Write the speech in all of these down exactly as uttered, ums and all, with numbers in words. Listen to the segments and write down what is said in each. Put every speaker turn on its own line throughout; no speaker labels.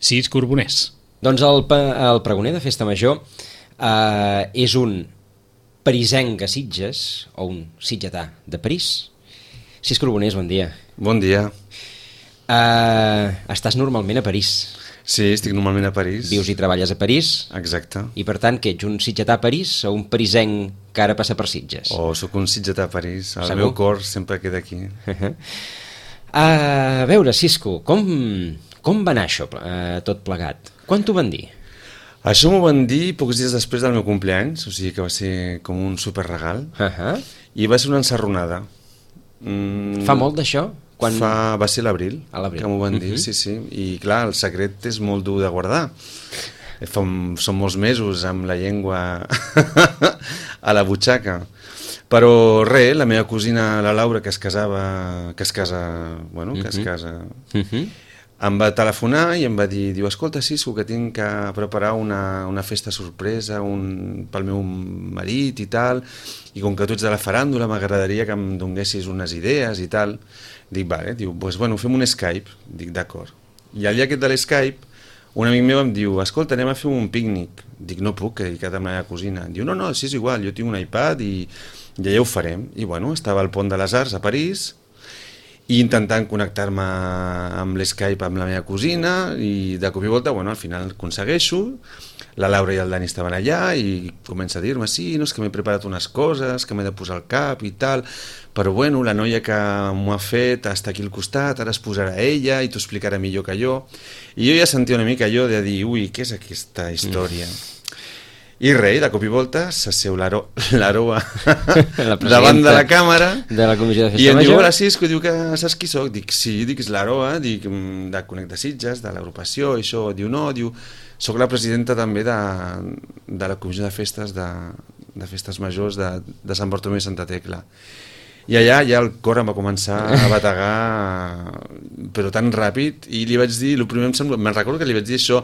Sis Corboners.
Doncs el, el pregoner de Festa Major eh, és un parisenc a Sitges, o un sitgetà de París. Sis Corboners, bon dia.
Bon dia.
Eh, estàs normalment a París.
Sí, estic normalment a París.
Vius i treballes a París.
Exacte.
I per tant, que ets un sitgetà a París o un parisenc que ara passa per Sitges?
O sóc un sitgetà a París. El
Segur?
meu cor sempre queda aquí.
Uh, a veure, Cisco, com, com va anar això, uh, tot plegat? Quan t'ho van dir?
Això m'ho van dir pocs dies després del meu compleanys, o sigui que va ser com un superregal.
Uh -huh.
I va ser una encerronada. Mm,
Fa molt d'això? Quan...
Fa... Va ser l'abril, que m'ho van dir, uh -huh. sí, sí. I clar, el secret és molt dur de guardar. Fa, són molts mesos amb la llengua a la butxaca. Però res, la meva cosina, la Laura, que es casava, que es casa, bueno, que uh -huh. es casa, uh -huh. em va telefonar i em va dir, diu, escolta, Cisco, que tinc que preparar una, una festa sorpresa un, pel meu marit i tal, i com que tu ets de la faràndula m'agradaria que em donessis unes idees i tal. Dic, vale, diu, pues, bueno, fem un Skype. Dic, d'acord. I al dia aquest de l'Skype, un amic meu em diu, escolta, anem a fer un pícnic. Dic, no puc, que he dedicat amb la meva cosina. Diu, no, no, sí, és igual, jo tinc un iPad i ja ja ho farem. I bueno, estava al Pont de les Arts a París i intentant connectar-me amb l'Skype amb la meva cosina i de cop i volta, bueno, al final aconsegueixo. La Laura i el Dani estaven allà i comença a dir-me, sí, no, és que m'he preparat unes coses que m'he de posar al cap i tal, però bueno, la noia que m'ho ha fet està aquí al costat, ara es posarà ella i t'ho explicarà millor que jo. I jo ja sentia una mica allò de dir, ui, què és aquesta història? Mm. I res, de cop i volta s'asseu l'Aroa davant de la càmera
de la Comissió de Festa
i em
Major.
diu, hola Cisco, diu que saps qui soc? Dic, sí, dic, és l'Aroa, dic, de Connecta Sitges, de l'agrupació, i això, diu, no, diu, soc la presidenta també de, de la Comissió de Festes de, de Festes Majors de, de Sant Bartomeu i Santa Tecla. I allà ja el cor em va començar a bategar, però tan ràpid, i li vaig dir, el primer em sembla, me'n recordo que li vaig dir això,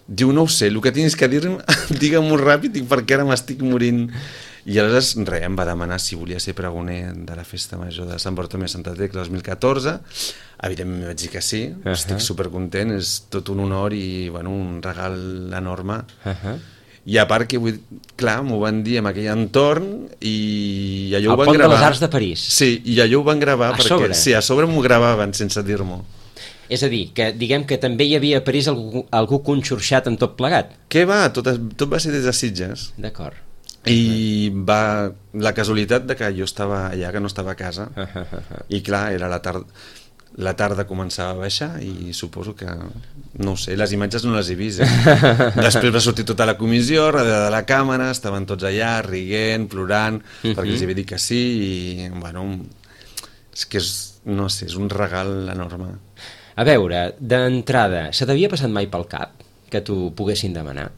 diu, no ho sé, el que tens que dir-me, digue-m'ho ràpid, dic, perquè ara m'estic morint. I aleshores, res, em va demanar si volia ser pregoner de la Festa Major de Sant Bartomeu i Santa Tecla dos mil catorze. Evidentment vaig dir que sí, uh -huh. estic supercontent, és tot un honor i, bueno, un regal enorme. Uh -huh. I a part que, vull, clar, m'ho van dir en aquell entorn i allò ho van gravar.
Al Pont de les Arts de París.
Sí, i allò ho van gravar
a
perquè...
Sobre?
Sí, a sobre m'ho gravaven sense dir-m'ho.
És a dir, que diguem que també hi havia a París algú, algú conxorxat en tot plegat.
Què va? Tot, tot va ser des de Sitges.
D'acord.
I va... La casualitat de que jo estava allà, que no estava a casa, uh -huh. i clar, era la tarda... La tarda començava a baixar i suposo que, no ho sé, les imatges no les he vist. Eh? Després va sortir tota la comissió, darrere de la càmera, estaven tots allà, riguent, plorant, uh -huh. perquè els havia dit que sí, i, bueno, és que és, no sé, és un regal enorme.
A veure, d'entrada, se t'havia passat mai pel cap que t'ho poguessin demanar?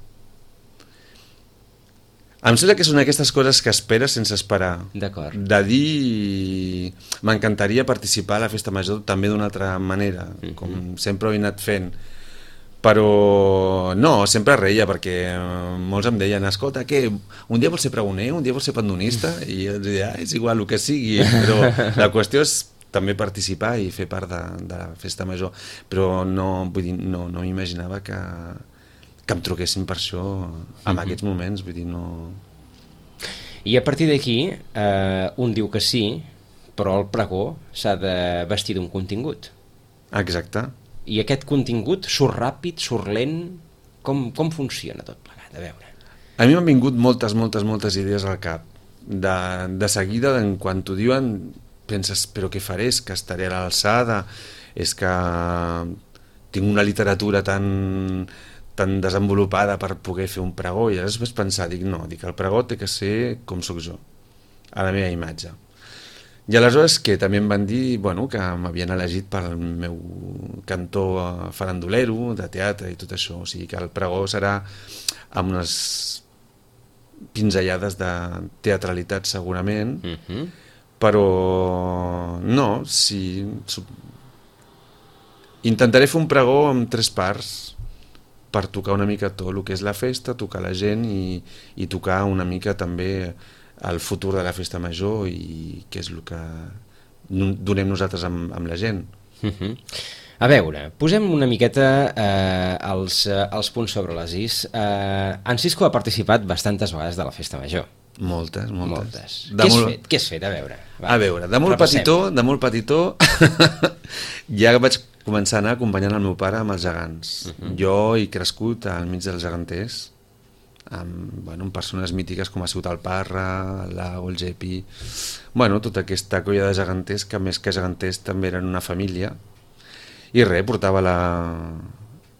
Em sembla que són aquestes coses que esperes sense esperar.
D'acord.
De dir... M'encantaria participar a la Festa Major també d'una altra manera, uh -huh. com sempre ho he anat fent. Però no, sempre reia, perquè molts em deien, escolta, què, un dia vols ser pregoner, un dia vols ser pandonista? I jo deia, ah, és igual, el que sigui, però la qüestió és també participar i fer part de, de la Festa Major. Però no, vull dir, no, no m'imaginava que... que em truquessin per això en uh-huh. aquests moments, vull dir, no...
I a partir d'aquí, eh, un diu que sí, però el pregó s'ha de vestir d'un contingut.
Exacte.
I aquest contingut surt ràpid, surt lent, com, com funciona tot plegat? A veure.
A mi m'han vingut moltes, moltes, moltes idees al cap. De, de seguida, en quan t'ho diuen, penses, però què faré? És que estaré a l'alçada, és que tinc una literatura tan... tan desenvolupada per poder fer un pregó, i llavors vaig pensar, dic, no, dic, el pregó té que ser com sóc jo, a la meva imatge. I aleshores que també em van dir, bueno, que m'havien elegit pel meu cantó farandulero, de teatre i tot això, o sigui que el pregó serà amb unes pinzellades de teatralitat segurament, uh-huh. però no, sí, intentaré fer un pregó amb tres parts, per tocar una mica tot el que és la festa, tocar la gent i, i tocar una mica també el futur de la Festa Major i què és el que donem nosaltres amb, amb la gent.
Uh-huh. A veure, posem una miqueta eh, els, eh, els punts sobre les is. Eh, en Cisco ha participat bastantes vegades de la festa major.
Moltes, moltes.
moltes. Què,
molt...
has fet? Què has fet? A veure.
Va, a veure, de molt repassem. petitó, de molt petitó, ja vaig començar a anar acompanyant el meu pare amb els gegants. Uh -huh. Jo he crescut al mig dels geganters, amb, bueno, amb persones mítiques com ha sigut el Parra, el Lago, el Gepi... Bueno, tota aquesta colla de geganters que més que geganters també eren una família. I res, portava la,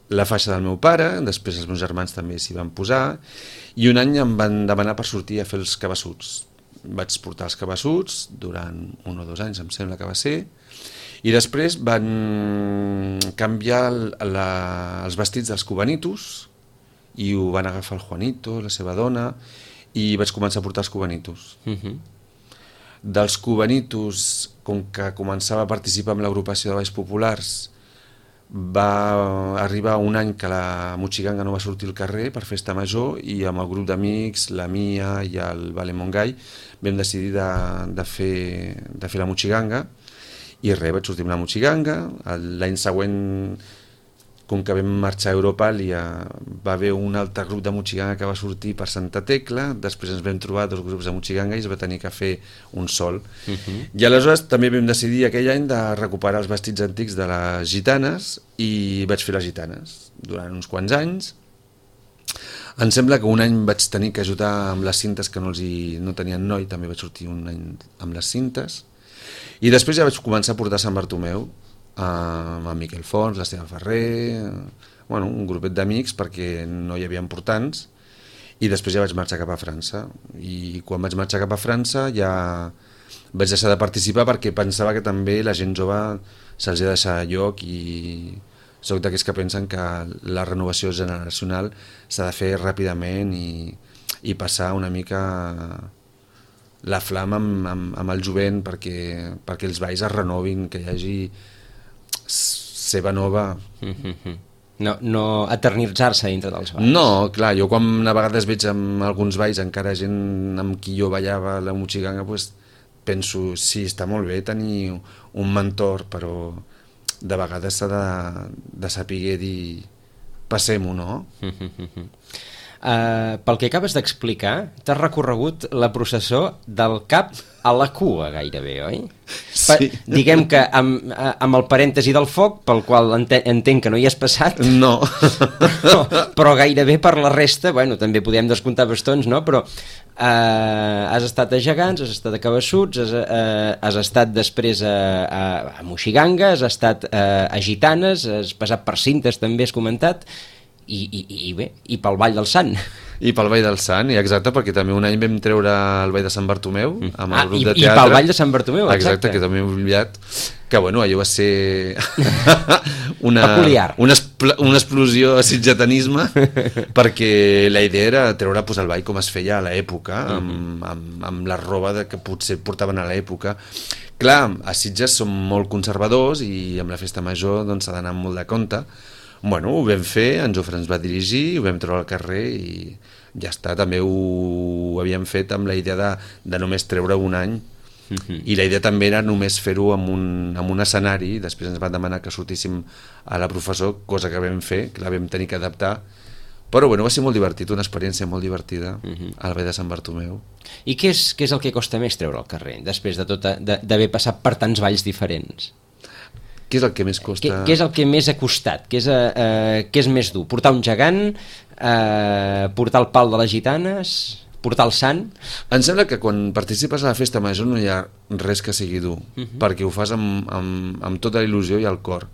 la faixa del meu pare, després els meus germans també s'hi van posar, i un any em van demanar per sortir a fer els cabassuts. Vaig portar els cabassuts durant un o dos anys, em sembla que va ser, i després van canviar la, els vestits dels cubanitos, i ho van agafar el Juanito, la seva dona, i vaig començar a portar els cubanitos. Uh -huh. Dels cubanitos, com que començava a participar en l'agrupació de balls populars, va arribar un any que la Mochiganga no va sortir al carrer per festa major, i amb el grup d'amics, la Mia i el Vale Montgai, vam decidir de, de, fer, de fer la Mochiganga, i res, vaig sortir amb la Mochiganga. L'any següent, com que vam marxar a Europàlia, va haver un altre grup de Mochiganga que va sortir per Santa Tecla, després ens vam trobar dos grups de Mochiganga i es va tenir que fer un sol. Uh -huh. I aleshores també vam decidir aquell any de recuperar els vestits antics de les gitanes, i vaig fer les gitanes durant uns quants anys. Em sembla que un any vaig tenir que ajudar amb les cintes, que no, els hi, no tenien noi, també vaig sortir un any amb les cintes, i després ja vaig començar a portar Sant Bartomeu, amb en Miquel Fons, l'Esteve Ferrer, bueno, un grupet d'amics perquè no hi havia portants, i després ja vaig marxar cap a França, i quan vaig marxar cap a França ja vaig deixar de participar perquè pensava que també la gent jove se'ls ha de deixar lloc, i soc d'aquells que pensen que la renovació generacional s'ha de fer ràpidament i, i passar una mica la flama amb, amb, amb el jovent perquè, perquè els balls es renovin, que hi hagi seva nova.
No, no eternitzar-se dintre dels balls.
No, clar, jo quan a vegades veig amb alguns balls encara gent amb qui jo ballava la Mochiganga, pues, penso, sí, està molt bé tenir un mentor, però de vegades s'ha de, de saber dir passem-ho, no?
Uh, pel que acabes d'explicar, t'has recorregut la processó del cap a la cua gairebé, oi?
Sí.
Pa, diguem que amb, amb el parèntesi del foc, pel qual enten, entenc que no hi has passat,
no.
però, però gairebé per la resta, bueno, també podem descomptar bastons, no? Però uh, has estat a Gegants, has estat a Cabassuts, has, uh, has estat després a, a, a Mochiganga, has estat uh, a Gitanes, has passat per Cintes, també has comentat, I, i, i bé, i pel Ball del Sant.
I pel Ball del Sant, i exacte, perquè també un any vam treure el Ball de Sant Bartomeu amb el
ah,
grup
i,
de teatre.
I pel Ball de Sant Bartomeu, exacte.
Exacte, que també he oblidat, que bueno, allò va ser una,
peculiar.
Una, una explosió de sitgetanisme, perquè la idea era treure pues, el ball com es feia a l'època, uh -huh. amb, amb, amb la roba de que potser portaven a l'època. Clar, a Sitges som molt conservadors i amb la festa major doncs, s'ha d'anar molt de compte. Bueno, ho vam fer, en Jofre ens va dirigir, ho vam treure al carrer i ja està, també ho havíem fet amb la idea de, de només treure un any, uh-huh. i la idea també era només fer-ho amb un, amb un escenari. Després ens van demanar que sortíssim a la professor, cosa que vam fer, que la vam tenir que adaptar, però bueno, va ser molt divertit, una experiència molt divertida, uh-huh. al Ball de Sant Bartomeu.
I què és, què és el que costa més treure al carrer, després de tot, d'haver passat per tants balls diferents?
Què és el que més costa?
Què, què és el que més ha costat? Què és, eh, què és més dur? Portar un gegant? Eh, portar el pal de les gitanes? Portar el sant?
Em sembla que quan participes a la festa major no hi ha res que sigui dur, uh-huh. perquè ho fas amb, amb, amb tota la il·lusió i el cor.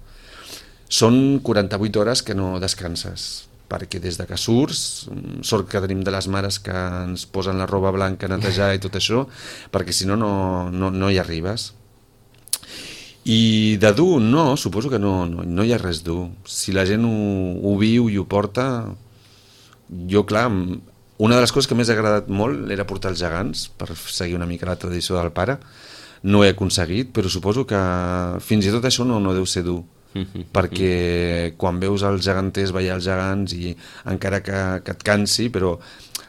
Són quaranta-vuit hores que no descanses, perquè des de que surts, sort que tenim de les mares que ens posen la roba blanca a netejar i tot això, perquè si no, no, no, no hi arribes. I de dur, no, suposo que no, no, no hi ha res dur. Si la gent ho, ho viu i ho porta, jo, clar, una de les coses que més ha agradat molt era portar els gegants, per seguir una mica la tradició del pare. No ho he aconseguit, però suposo que fins i tot això no, no deu ser dur, perquè quan veus els geganters ballar els gegants, i encara que, que et cansi, però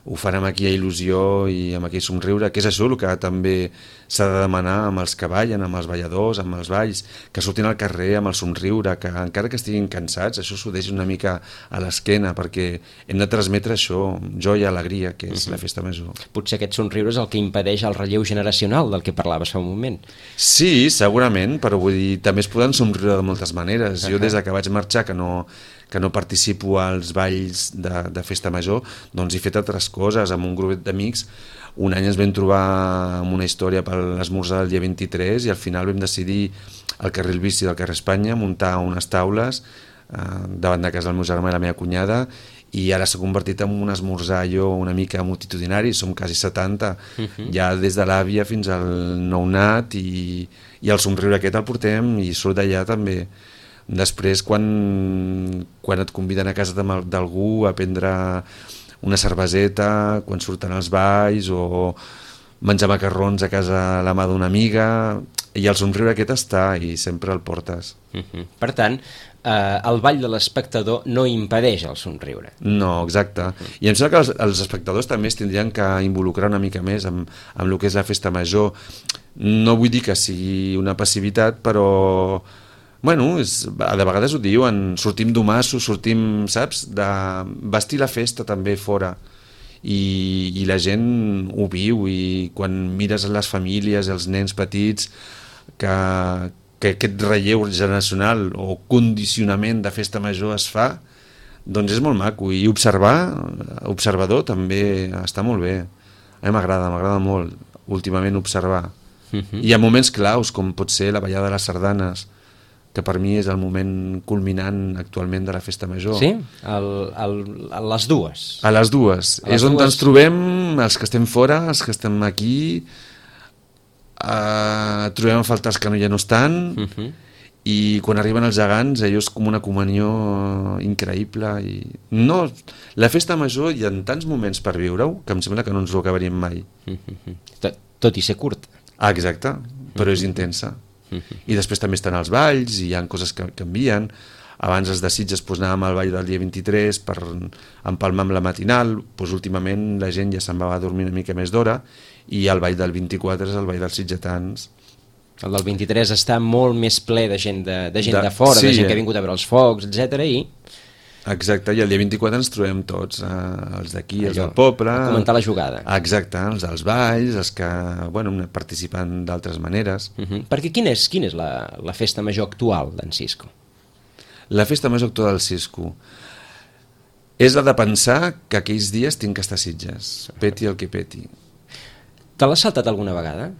ho fan amb aquella il·lusió i amb aquell somriure, que és això el que també s'ha de demanar amb els que ballen, amb els balladors, amb els balls, que surtin al carrer amb el somriure, que encara que estiguin cansats, això s'ho deixi una mica a l'esquena, perquè hem de transmetre això, joia, alegria, que és uh-huh. la festa major.
Potser aquest somriure és el que impedeix el relleu generacional del que parlaves fa un moment.
Sí, segurament, però vull dir, també es poden somriure de moltes maneres. Uh-huh. Jo des que vaig marxar, que no... que no participo als balls de, de festa major, doncs he fet altres coses amb un grup d'amics. Un any ens vam trobar amb una història per l'esmorzar del dia vint-i-tres i al final vam decidir al carrer El Bici del carrer Espanya muntar unes taules eh, davant de casa del meu germà i la meva cunyada, i ara s'ha convertit en un esmorzar allò una mica multitudinari, som quasi setanta, uh-huh. ja des de l'àvia fins al nounat, i, i el somriure aquest el portem i surt d'allà també. Després, quan, quan et conviden a casa d'algú a prendre una cerveseta, quan surten els balls, o menjar macarrons a casa a la mà d'una amiga, i el somriure aquest està i sempre el portes.
Uh-huh. Per tant, eh, el ball de l'espectador no impedeix el somriure.
No, exacte. Uh-huh. I em sembla que els, els espectadors també es tindrien que involucrar una mica més amb, amb el que és la festa major. No vull dir que sigui una passivitat, però... Bueno, és, de vegades ho diuen, sortim d'homassos, sortim, saps, de vestir la festa també fora, i, i la gent ho viu, i quan mires les famílies, els nens petits, que, que aquest relleu generacional o condicionament de festa major es fa, doncs és molt maco, i observar, observador també està molt bé. A mi m'agrada, m'agrada molt últimament observar. Uh-huh. I ha moments claus, com pot ser la ballada de les sardanes, que per mi és el moment culminant actualment de la festa major.
Sí? El, el, a les dues?
A les dues. A les és on dues... ens trobem, els que estem fora, els que estem aquí, uh, trobem a faltar els que no ja no estan, uh-huh. i quan arriben els gegants, allò és com una comunió increïble. I... No, la festa major hi ha tants moments per viure-ho que em sembla que no ens ho acabaríem mai.
Uh-huh. Tot, tot i ser curt.
Ah, exacte, però uh-huh. és intensa. I després també estan els balls i hi ha coses que canvien. Abans els de Sitges doncs, anàvem al ball del dia vint-i-tres per empalmar amb la matinal, doncs, últimament la gent ja se'n va a dormir una mica més d'hora, i el ball del vint-i-quatre és el ball dels sitgetans.
El del vint-i-tres està molt més ple de gent de, de, gent de, de fora, sí, de gent que ha vingut a veure els focs, etcètera. I...
Exacte, i el dia vint-i-quatre ens trobem tots, eh, els d'aquí, els del poble...
A comentar la jugada.
Exacte, els dels balls, els que bueno, participen d'altres maneres.
Uh-huh. Perquè quina és, quina és la, la festa major actual d'en Cisco?
La festa major actual del Cisco és la de pensar que aquells dies tinc que estar a Sitges, peti el que peti.
Te l'has saltat alguna vegada?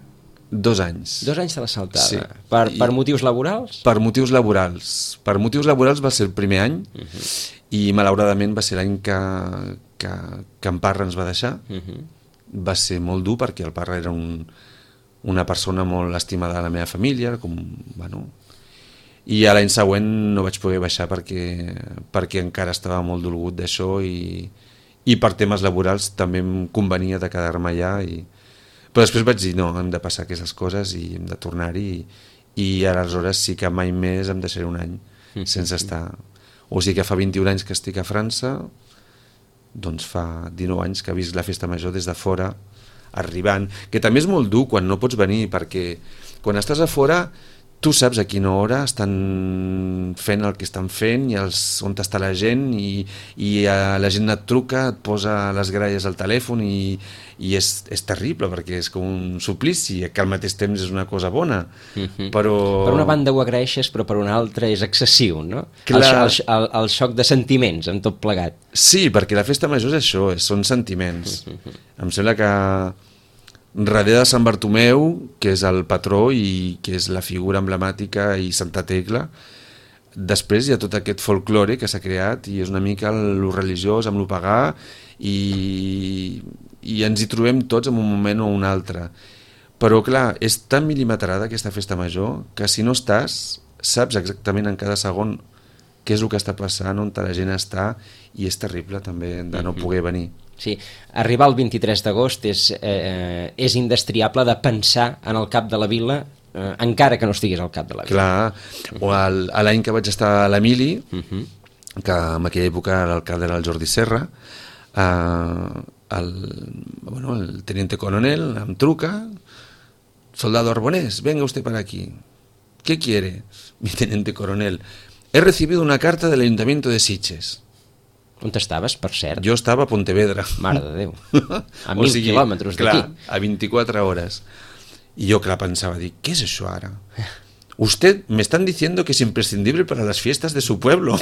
Dos anys.
Dos anys te l'has saltada.
Sí.
Per, per motius laborals?
Per motius laborals. Per motius laborals va ser el primer any, uh-huh. i malauradament va ser l'any que, que, que en Parra ens va deixar. Uh-huh. Va ser molt dur perquè el Parra era un, una persona molt estimada de la meva família, com, bueno, i a l'any següent no vaig poder baixar perquè, perquè encara estava molt dolgut d'això, i, i per temes laborals també em convenia de quedar-me allà, i però després vaig dir, no, hem de passar aquestes coses i hem de tornar-hi, i, i aleshores sí que mai més em deixaré un any sense estar. O sigui que fa vint-i-un anys que estic a França, doncs fa dinou anys que he vist la festa major des de fora, arribant, que també és molt dur quan no pots venir, perquè quan estàs a fora tu saps a quina hora estan fent el que estan fent, i els, on està la gent, i, i la gent et truca, et posa les gralles al telèfon, i, i és, és terrible, perquè és com un suplici, que al mateix temps és una cosa bona. Uh-huh. Però... Per
una banda ho agraeixes, però per una altra és excessiu, no? El, el, el, el xoc de sentiments amb tot plegat.
Sí, perquè la festa major és això, són sentiments. Uh-huh. Em sembla que darrere de Sant Bartomeu, que és el patró i que és la figura emblemàtica, i Santa Tecla, després hi ha tot aquest folklore que s'ha creat, i és una mica lo religiós amb lo pagà, i, i ens hi trobem tots en un moment o un altre. Però clar, és tan mil·limetrada aquesta festa major que si no estàs, saps exactament en cada segon què és el que està passant, on la gent està, i és terrible també de no poder venir.
Sí, arribar el vint-i-tres d'agost és, eh, és indestriable de pensar en el cap de la vila, eh, encara que no estiguis al cap de la vila.
Clar, o el, l'any que vaig estar a l'Emili, uh-huh. que en aquella època l'alcalde era el Jordi Serra, eh, el, bueno, el teniente coronel em truca, soldado Arbonés, venga usted para aquí. ¿Qué quiere? Mi teniente coronel, he recibido una carta del Ayuntamiento de Sitges.
On estaves, per cert?
Jo estava a Pontevedra.
Mare de Déu. A mil o sigui, quilòmetres d'aquí.
Clar, a vint-i-quatre hores. I jo, clar, pensava, dic, ¿qué es eso ara? Usted me están diciendo que es imprescindible para las fiestas de su pueblo.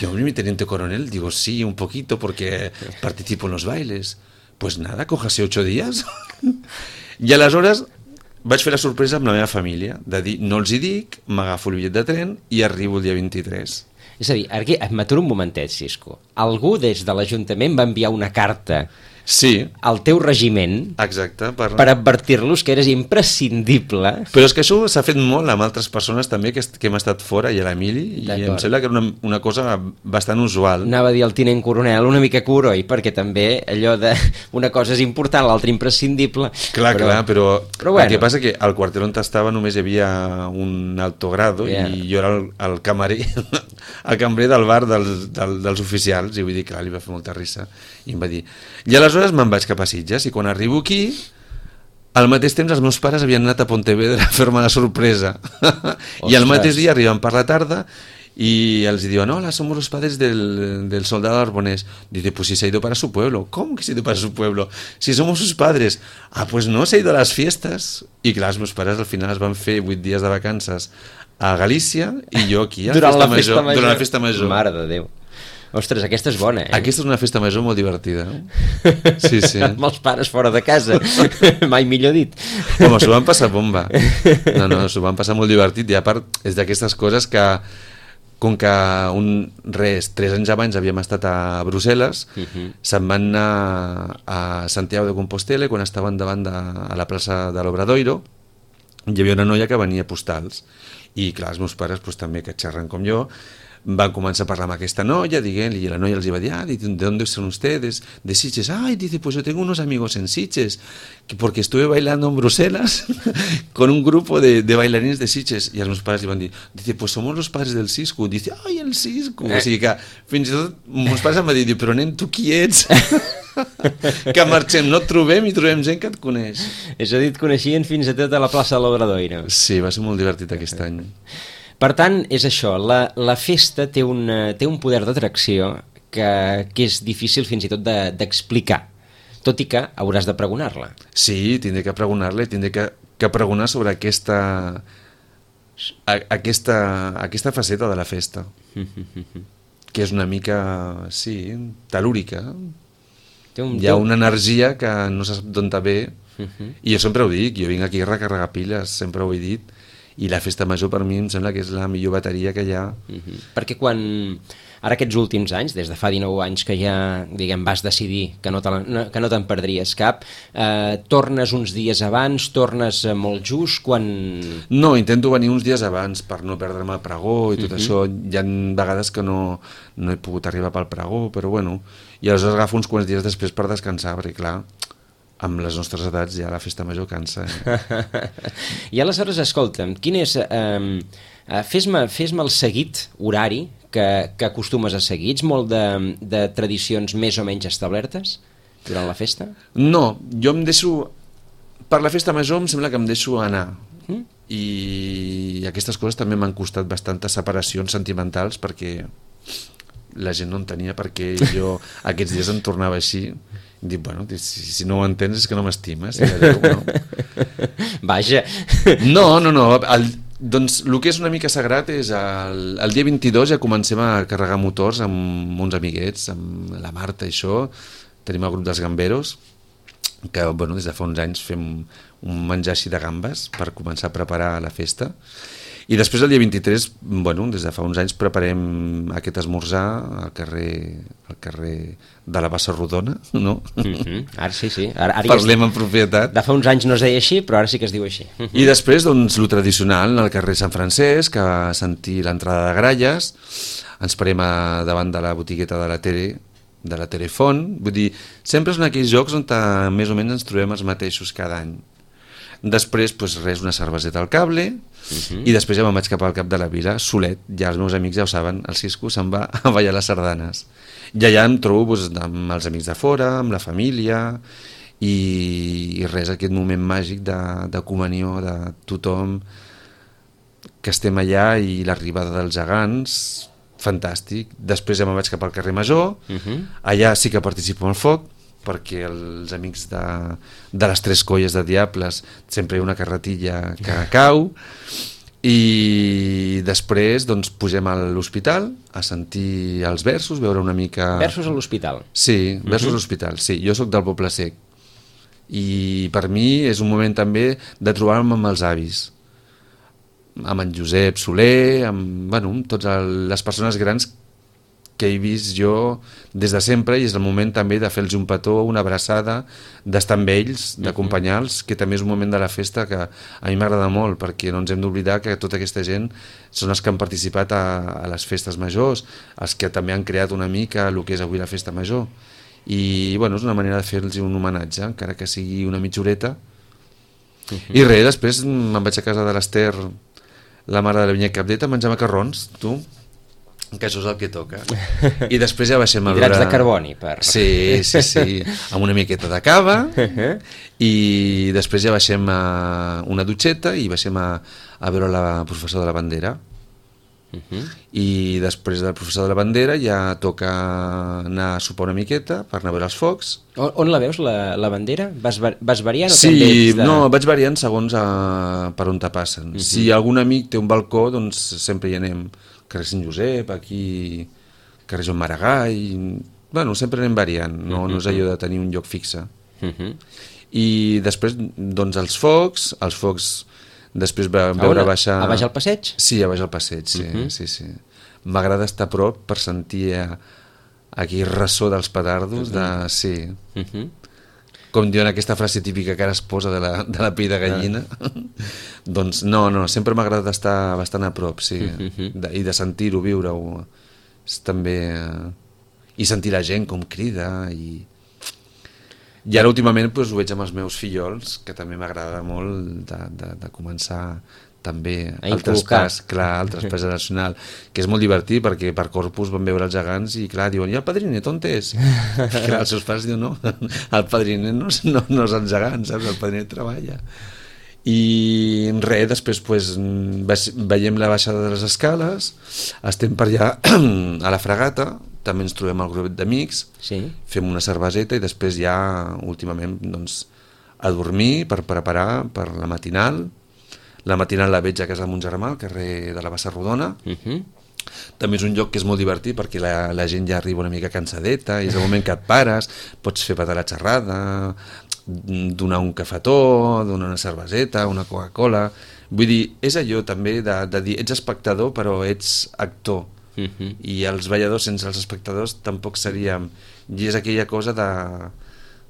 Yo, mi teniente coronel, digo, sí, un poquito, porque participo en los bailes. Pues nada, cójase ocho días. I aleshores vaig fer la sorpresa amb la meva família, de dir, no els hi dic, m'agafo el bitllet de tren i arribo el dia vint-i-tres.
És a dir, aquí, m'aturo un momentet, Cisco. Algú des de l'Ajuntament va enviar una carta
sí.
al teu regiment.
Exacte, per...
per advertir-los que eres imprescindible.
Però és que això s'ha fet molt amb altres persones també que, que hem estat fora, i a l'Emili, i em sembla que era una, una cosa bastant usual.
Anava a dir al tinent coronel una mica curoi, perquè també allò de una cosa és important, l'altra imprescindible.
Clar, però, clar, però,
però bueno.
El que passa que al quarter on estava només hi havia un alto grado yeah. i jo era el, el camarer, el cambrer del bar dels, del, dels oficials, i vull dir, clar, li va fer molta risa, i em va dir... I aleshores me'n vaig cap a Sitges, i quan arribo aquí, al mateix temps els meus pares havien anat a Pontevedra a fer-me la sorpresa. I al mateix dia arriben per la tarda y els diuen, hola, somos los padres del, del soldado Arbonés. Dice, pues si se ha ido para su pueblo. ¿Cómo que se ha ido para su pueblo? Si somos sus padres. Ah, pues no, se ha ido a las fiestas. I clar, els meus pares al final es van fer vuit dies de vacances a Galícia i jo aquí a
durant,
festa
la festa
major,
major.
durant la festa major.
Mare de Déu. Ostres, aquesta és bona, eh?
Aquesta és una festa major molt divertida. Sí, sí.
Amb els pares fora de casa. Mai millor dit.
Home, s'ho van passar bomba. No, no, s'ho van passar molt divertit. I a part, és d'aquestes coses que, com que un, res, tres anys abans havíem estat a Brussel·les, uh-huh. se'n van anar a Santiago de Compostela, quan estaven davant de, a la plaça de l'Obradoiro, hi havia una noia que venia postals. I clar, els meus pares pues, també, que xerren com jo, van començar a parlar amb aquesta noia, diguent, i la noia els va dir, ah, ¿de dónde son ustedes? De Sitges. Ay, dice, pues yo tengo unos amigos en Sitges, porque estuve bailando en Bruselas con un grupo de, de bailarines de Sitges. I els meus pares li van dir, dice, pues somos los padres del Cisco. Dice, ay, el Cisco. Eh. O sigui que fins i tot meus pares em van dir, però nen, tu qui ets? Que marxem, no et trobem i trobem gent que et coneix.
És a dir, et coneixien fins a tot a la plaça de l'Obradoiro.
Sí, va ser molt divertit aquest any.
Per tant, és això, la, la festa té, una, té un poder d'atracció que, que és difícil fins i tot d'explicar, de, tot i que hauràs de pregonar-la.
Sí, tindré que pregonar-la i tindré que, que pregonar sobre aquesta, a, aquesta, aquesta faceta de la festa, que és una mica, sí, telúrica. Té un, Hi ha una energia que no se sap d'on ve, i jo sempre ho dic, jo vinc aquí a recarregar piles, sempre ho he dit, i la festa major per mi em sembla que és la millor bateria que hi ha.
Uh-huh. Perquè quan, ara aquests últims anys, des de fa dinou anys que ja diguem, vas decidir que no, te la, no, que no te'n perdries cap, eh, tornes uns dies abans, tornes molt just, quan...
No, intento venir uns dies abans per no perdre'm el pregó i tot uh-huh. això. Hi ha vegades que no, no he pogut arribar pel pregó, però bueno, i aleshores agafo uns quants dies després per descansar, perquè clar, amb les nostres edats ja la festa major cansa. Eh?
I aleshores, escolta'm, quin és... Eh, fes-me fes-me el seguit horari que, que acostumes a seguir. Ets molt de, de tradicions més o menys establertes durant la festa?
No, jo em deixo... Per la festa major em sembla que em deixo anar. Mm? I aquestes coses també m'han costat bastantes separacions sentimentals perquè la gent no entenia per què jo aquests dies em tornava així. Dic, bueno, si, si no ho entens és que no m'estimes. No.
Vaja.
No, no, no. El, doncs el que és una mica sagrat és el, el dia vint-i-dos ja comencem a carregar motors amb uns amiguets, amb la Marta i això. Tenim el grup dels gamberos, que bueno, des de fa uns anys fem un menjar així de gambes per començar a preparar la festa. I després el dia vint-i-tres, bueno, des de fa uns anys preparem aquest esmorzar al carrer, al carrer de la Bassa Rodona, no?
Mm-hmm. Ara sí, sí. Ara, ara
Parlem
ja
en propietat.
De fa uns anys no es deia així, però ara sí que es diu així. Mm-hmm.
I després, doncs, lo tradicional, al carrer Sant Francesc, a sentir l'entrada de gralles, ens parem a, davant de la botigueta de la Tere, de la Telefon, vull dir, sempre són aquells jocs on a, més o menys ens trobem els mateixos cada any. Després, doncs res, una cerveseta al cable, uh-huh. I després ja me'n vaig cap al cap de la vila, solet, ja els meus amics ja ho saben, el Cisco se'n va a ballar les sardanes. I allà em trobo doncs, amb els amics de fora, amb la família, i, i res, aquest moment màgic de, de comunió de tothom, que estem allà, i l'arribada dels gegants, fantàstic. Després ja me'n vaig cap al carrer Major, uh-huh. Allà sí que participo en el foc, perquè els amics de, de les Tres Colles de Diables sempre hi ha una carretilla que cau, i després doncs, pugem a l'hospital a sentir els versos, veure una mica...
Versos a l'hospital?
Sí, versos uh-huh. a l'hospital, sí. Jo sóc del Poble Sec, i per mi és un moment també de trobar-me amb els avis, amb en Josep Soler, amb, bueno, amb totes les persones grans que he vist jo des de sempre, i és el moment també de fer-los un petó, una abraçada, d'estar amb ells, d'acompanyar-los, que també és un moment de la festa que a mi m'agrada molt, perquè no ens hem d'oblidar que tota aquesta gent són els que han participat a, a les festes majors, els que també han creat una mica el que és avui la festa major, i bueno, és una manera de fer-los un homenatge, encara que sigui una mitja horeta. Uh-huh. I res, després me'n vaig a casa de l'Ester, la mare de la Vinyet Capdeta, a menjar macarrons, tu, que això és el que toca. I després ja baixem a veure...
Hidrats de carboni, per...
Sí, sí, sí, amb una miqueta de cava, i després ja baixem a una dutxeta i baixem a, a veure la professora de la bandera. Uh-huh. I després del professor de la bandera ja toca anar a sopar una miqueta per anar a veure els focs.
On, on la veus, la, la bandera? Vas, vas variant o
sí,
també ets de...
no, vaig variant segons a, per on te passen. Uh-huh. Si algun amic té un balcó, doncs sempre hi anem. Carrer Sant Josep, aquí carrer Joan Maragall, bueno, sempre anem variant, no, no és allò de tenir un lloc fixe. Uh-huh. I després, doncs, els focs, els focs després vam veure baixar...
A baix al passeig?
Sí, a baix al passeig, sí, uh-huh. sí, sí. M'agrada estar a prop per sentir aquell ressò dels petardos, de... sí. Uh-huh. Com diuen aquesta frase típica que ara es posa de la, de la pell de gallina, ah. Doncs no, no, sempre m'ha agradat estar bastant a prop, sí, uh-huh. de, i de sentir-ho, viure-ho, és també... i sentir la gent com crida, i... I ara últimament doncs, ho veig amb els meus fillols, que també m'agrada molt de, de, de començar també el traspàs, clar, el traspàs nacional, que és molt divertit perquè per Corpus van veure els gegants i clar, diuen, i el padrinet on és? Clar, els seus pares diuen, no, el padrinet no, no, no és els gegants, saps? El padrinet treballa. I res, després pues, veiem la baixada de les escales, estem per allà a la Fragata, també ens trobem al grup d'amics, sí. Fem una cerveseta i després ja últimament doncs, a dormir per preparar per la matinal. La matinal la veig a casa de mon germà, al carrer de la Bassa Rodona. Uh-huh. També és un lloc que és molt divertit perquè la, la gent ja arriba una mica cansadeta i és el moment que et pares, pots fer patar la xerrada, donar un cafetó, donar una cerveseta, una Coca-Cola. Vull dir, és allò també de, de dir, ets espectador però ets actor. Uh-huh. I els balladors sense els espectadors tampoc seríem... I és aquella cosa de...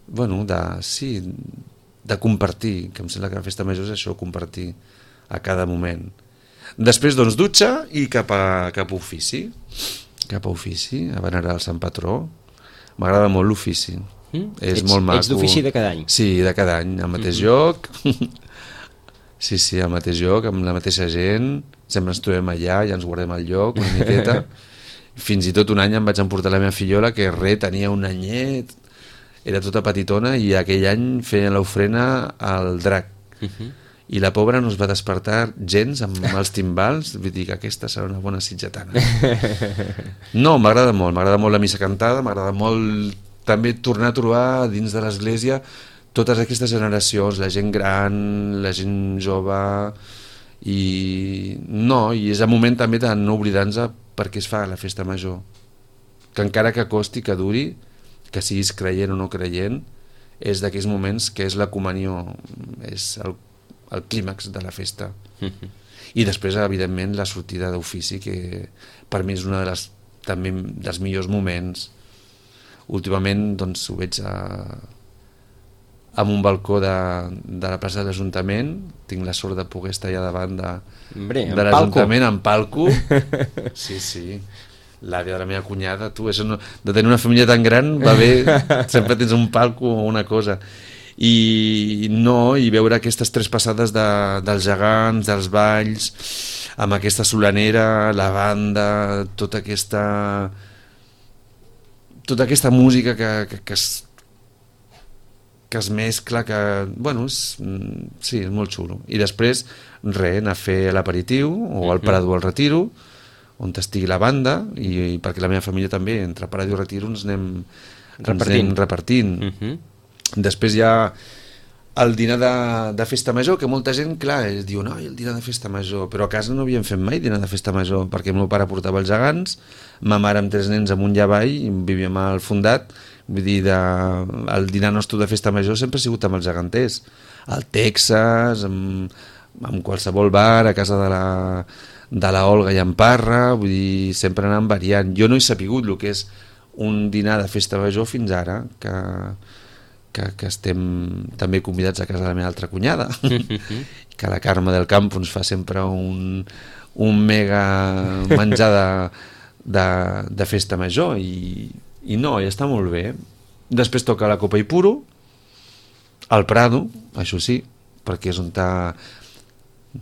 Bueno, de... Sí, de compartir, que em sembla que la festa major és això, compartir a cada moment. Després, doncs, dutxa i cap a, cap a ofici. Cap a ofici, a venerar el Sant Patró. M'agrada molt l'ofici. Mm? És ets, molt maco.
Ets d'ofici de cada any?
Sí, de cada any, al mateix mm-hmm. lloc. Sí, sí, al mateix lloc, amb la mateixa gent. Sempre ens trobem allà, ja ens guardem al lloc, una miqueta. Fins i tot un any em vaig emportar la meva fillola, que re, tenia un anyet, era tota petitona, i aquell any feien l'ofrena al drac. Uh-huh. I la pobra no es va despertar gens amb els timbals, vull dir que aquesta serà una bona sitgetana. No, m'agrada molt, m'agrada molt la missa cantada, m'agrada molt també tornar a trobar dins de l'església totes aquestes generacions, la gent gran, la gent jove, i no, i és el moment també de no oblidar-nos per què es fa la festa major, que encara que costi, que duri, que siguis creient o no creient, és d'aquells moments que és la comunió, és el, el clímax de la festa. Mm-hmm. I després, evidentment, la sortida d'ofici, que per mi és una de les, també dels millors moments. Últimament, doncs, ho veig a, amb un balcó de, de la plaça de l'Ajuntament, tinc la sort de poder estar allà davant de, Hombre, de l'Ajuntament, en palco. Sí, sí. L'àvia de la meva cunyada, tu, això no, de tenir una família tan gran va bé, sempre tens un palco o una cosa. i no, i veure aquestes tres passades de, dels gegants, dels balls, amb aquesta solanera, la banda, tota aquesta tota aquesta música que, que, que es que es mescla, que, bueno, és, sí, és molt xulo. I després, res, anar a fer l'aperitiu, o al Prado al Retiro, on estigui la banda, i, i perquè la meva família també, entre Prado i Retiro ens anem repartint. Ens anem repartint. Uh -huh. Després hi ha el dinar de, de festa major, que molta gent, clar, es diu, no, el dinar de festa major, però a casa no havíem fet mai dinar de festa major, perquè el meu pare portava els gegants, ma mare amb tres nens amunt i avall, vivíem al Fondat, vull dir, de, el dinar nostre de festa major sempre ha sigut amb els geganters, al Texas, amb, amb qualsevol bar, a casa de la, de la Olga i en Parra, vull dir, sempre anant variant. Jo no he sapigut el que és un dinar de festa major fins ara, que, que, que estem també convidats a casa de la meva altra cunyada, que la Carme del Campo ens fa sempre un, un mega menjar de, de, de festa major, i i no, i està molt bé. Després toca la Copa i Puro, al Prado, això sí, perquè és on ta,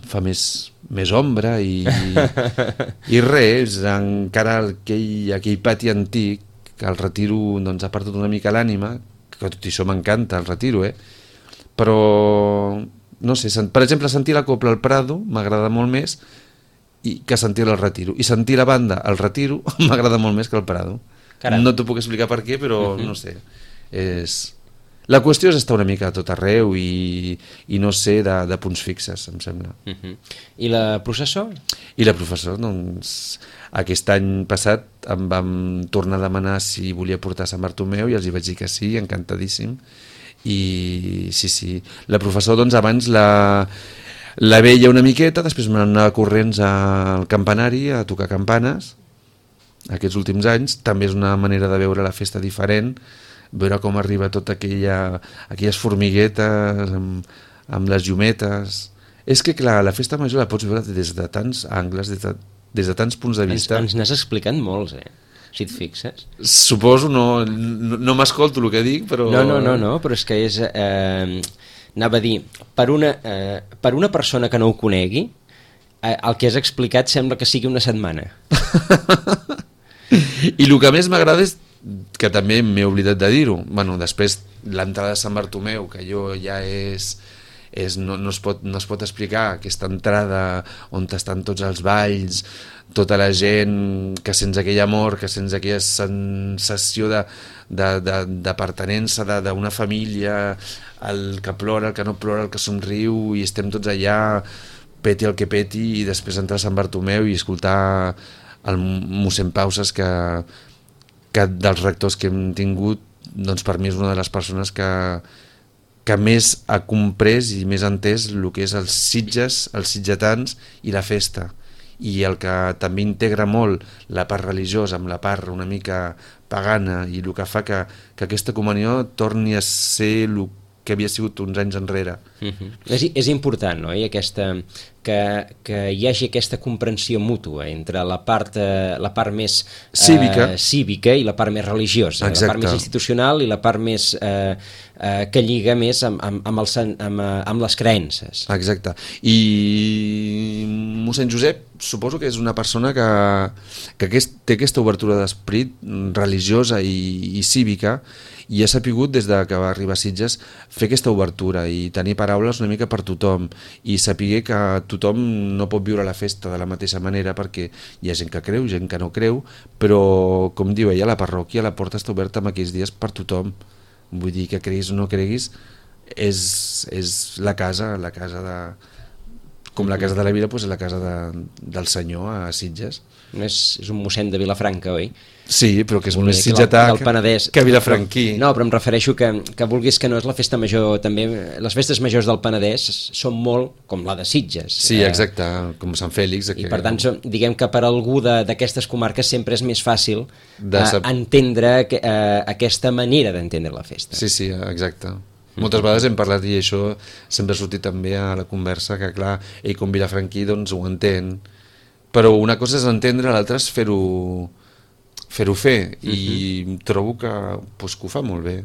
fa més, més ombra, i, i res, encara aquell, aquell pati antic, que el Retiro doncs, ha perdut una mica l'ànima, que tot això m'encanta, el Retiro, eh? Però, no sé, per exemple, sentir la Copla al Prado m'agrada molt més i que sentir al Retiro, i sentir la banda al Retiro m'agrada molt més que al Prado. Caram. No t'ho puc explicar per què, però uh-huh. no sé. És... La qüestió és estar una mica a tot arreu i, i no ser de, de punts fixes, em sembla.
Uh-huh. I la processó? I
la processó, doncs, aquest any passat em vam tornar a demanar si volia portar Sant Bartomeu i els hi vaig dir que sí, encantadíssim. I sí, sí. La processó, doncs, abans la, la veia una miqueta, després m'anava corrents al campanari a tocar campanes. Aquests últims anys també és una manera de veure la festa diferent, veure com arriba tota aquella, aquelles formiguetes amb, amb les llumetes. És que clar, la festa major la pots veure des de tants angles, des de, des de tants punts de vista.
Ens, ens n'has explicant molts, eh? Si et fixes.
Suposo, no, no, no m'escolto el que dic, però...
No, no, no, no, però és que és... Eh, anava a dir, per una, eh, per una persona que no ho conegui, eh, el que has explicat sembla que sigui una setmana.
I el que més m'agrada és que també m'he oblidat de dir-ho, bueno, després l'entrada de Sant Bartomeu, que allò ja és, és no, no, es pot, no es pot explicar, aquesta entrada on estan tots els balls, tota la gent, que sents aquell amor, que sents aquella sensació d'apartenença d'una família, el que plora, el que no plora, el que somriu, i estem tots allà, peti el que peti, i després entrar a Sant Bartomeu i escoltar el mossèn Pauses, que, que dels rectors que hem tingut, doncs per mi és una de les persones que, que més ha comprès i més entès el que és els Sitges, els sitgetans i la festa, i el que també integra molt la part religiosa amb la part una mica pagana, i el que fa que, que aquesta comunió torni a ser el que havia sigut uns anys enrere.
Uh-huh. és, és important, no? I aquesta, que, que hi hagi aquesta comprensió mútua entre la part, eh, la part més eh,
cívica.
cívica i la part més religiosa. Exacte. La part més institucional i la part més eh, eh, que lliga més amb, amb, amb, el, amb, amb les creences.
Exacte. I mossèn Josep suposo que és una persona que, que aquest, té aquesta obertura d'esperit religiosa i, i cívica, i ha sapigut des de que va arribar a Sitges fer aquesta obertura i tenir paraules una mica per tothom, i saber que tothom no pot viure la festa de la mateixa manera, perquè hi ha gent que creu, gent que no creu, però com diu ella, la parròquia, la porta està oberta en aquells dies per tothom. Vull dir que creguis o no creguis, és, és la casa, la casa de... com la casa de la Vila, doncs és la casa de, del senyor a Sitges.
És, és un mossèn de Vilafranca, oi?
Sí, però que és més sitgetà que, que vilafranquí.
No, però em refereixo que, que vulguis que no és la festa major també, les festes majors del Penedès són molt com la de Sitges.
Sí, exacte, com Sant Fèlix.
I per tant, diguem que per algú d'aquestes comarques sempre és més fàcil de sap... entendre que, uh, aquesta manera d'entendre la festa.
Sí, sí, exacte. Moltes vegades hem parlat, i això sempre ha sortit també a la conversa, que clar, ell com vilafranquí doncs ho entén, però una cosa és entendre, l'altra és fer-ho fer-ho fer, i uh-huh. trobo que, pues, que ho fa molt bé.